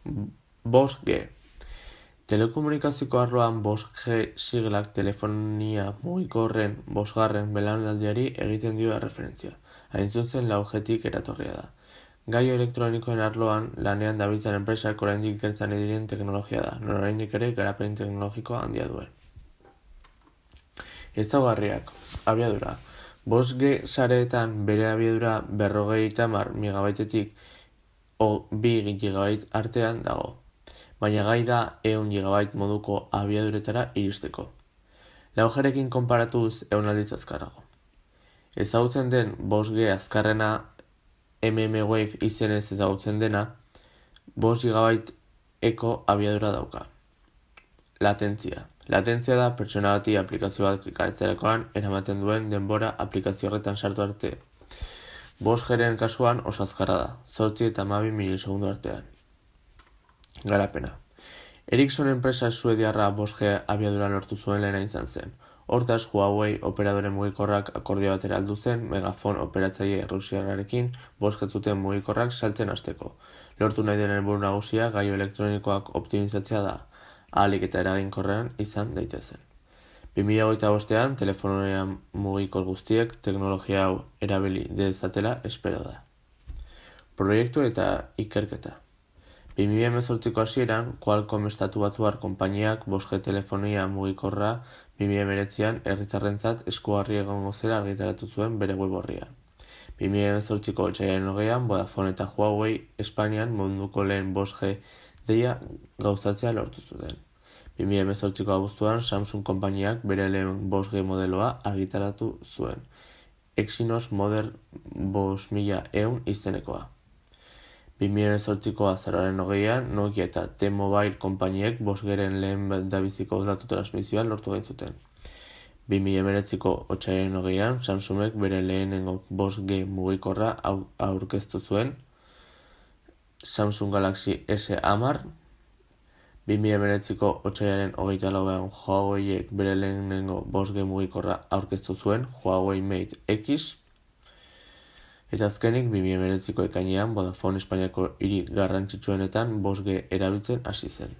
5G. Telekomunikazioko arloan 5G siglak telefonia mugikorren 5. belaunaldiari egiten dio erreferentzia. Hain zuzen 4Gtik eratorria da. Gailu elektronikoen arloan lanean dabiltzan enpresak oraindik ikertzen diren teknologia da, non oraindik ere garapen teknologikoa handia duen. Ezaugarriak, abiadura. 5G sareetan bere abiadura 50 megabaitetik 2 GB artean dago, baina gai da 100 GB moduko abiaduretara iristeko. 4Grekin konparatuz 100 aldiz azkarrago. Ezagutzen den 5G azkarrena mmWave izenez ezagutzen dena 5 GB eko abiadura dauka. Latentzia. Latentzia da pertsona bati aplikazio bat klikatzerakoan eramaten duen denbora aplikazio horretan sartu arte. 5Gren kasuan oso azkarra da, 8 eta 12 milisegundu artean. Garapena. Ericsson enpresa suediarra 5G abiadura lortu zuen lehena izan zen. Hortaz, Huawei operadore mugikorrak akordio batera aldu zen Megafon operatzaile errusiarrarekin 5G zuten mugikorrak saltzen hasteko. Lortu nahi den helburu nagusia gailu elektronikoak optimizatzea da, ahalik eta eraginkorrean izan daitezen. 2025an telefonia mugikor guztiek teknologia hau erabili dezatela espero da. Proiektu eta ikerketa. 2018ko hasieran, Qualcomm estatu batuar konpainiak 5G telefonia mugikorra 2019an herritarrentzat eskugarri egongo zela argitaratu zuen bere web orrian. 2018ko otsailaren 20an, Vodafone eta Huawei Espainian munduko lehen 5G deia gauzatzea lortu zuten. 2018ko abuztuan, Samsung konpainiak bere lehen 5G modeloa argitaratu zuen, Exynos Model 5100 izenekoa. 2018ko azaroaren 20an, Nokia eta T-Mobile konpainiek 5Gren lehen dabiziko datu transmisioa lortu gaitzuten. 2019ko otsailaren 20an, Samsungek bere lehenengo 5G mugikorra aurkeztu zuen, Samsung Galaxy S10. 2019ko otsailaren 24an, Huaweiek bere lehenengo 5G mugikorra aurkeztu zuen, Huawei Mate X. Eta azkenik 2019ko ekainean, Vodafone Espainiako hiri garrantzitsuenetan 5G erabiltzen hasi zen.